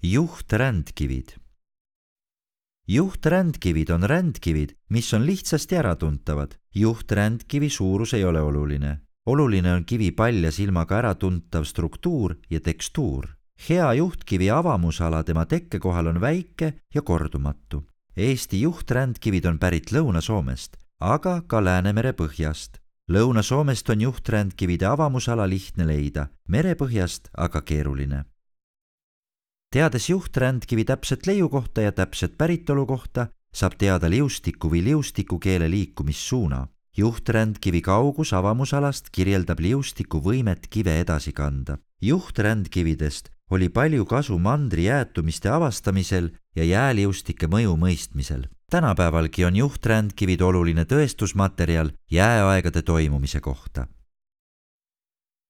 Juhträndkivid. Juhträndkivid on rändkivid, mis on lihtsasti äratuntavad. Juhträndkivi suurus ei ole oluline. Oluline on kivi palja silmaga äratuntav struktuur ja tekstuur. Hea juhtkivi avamusala tema tekkekohal on väike ja kordumatu. Eesti juhträndkivid on pärit Lõuna-Soomest, aga ka Läänemere põhjast. Lõuna-Soomest on juhträndkivide avamusala lihtne leida, merepõhjast aga keeruline. Teades juhträndkivi täpset leiukohta ja täpset päritolu kohta, saab teada liustiku või liustikukeele liikumissuuna. Juhträndkivi kaugus avamusalast kirjeldab liustiku võimet kive edasi kanda. Juhträndkividest oli palju kasu mandri jäätumiste avastamisel ja jääliustike mõju mõistmisel. Tänapäevalgi on juhträndkivid oluline tõestusmaterjal jääaegade toimumise kohta.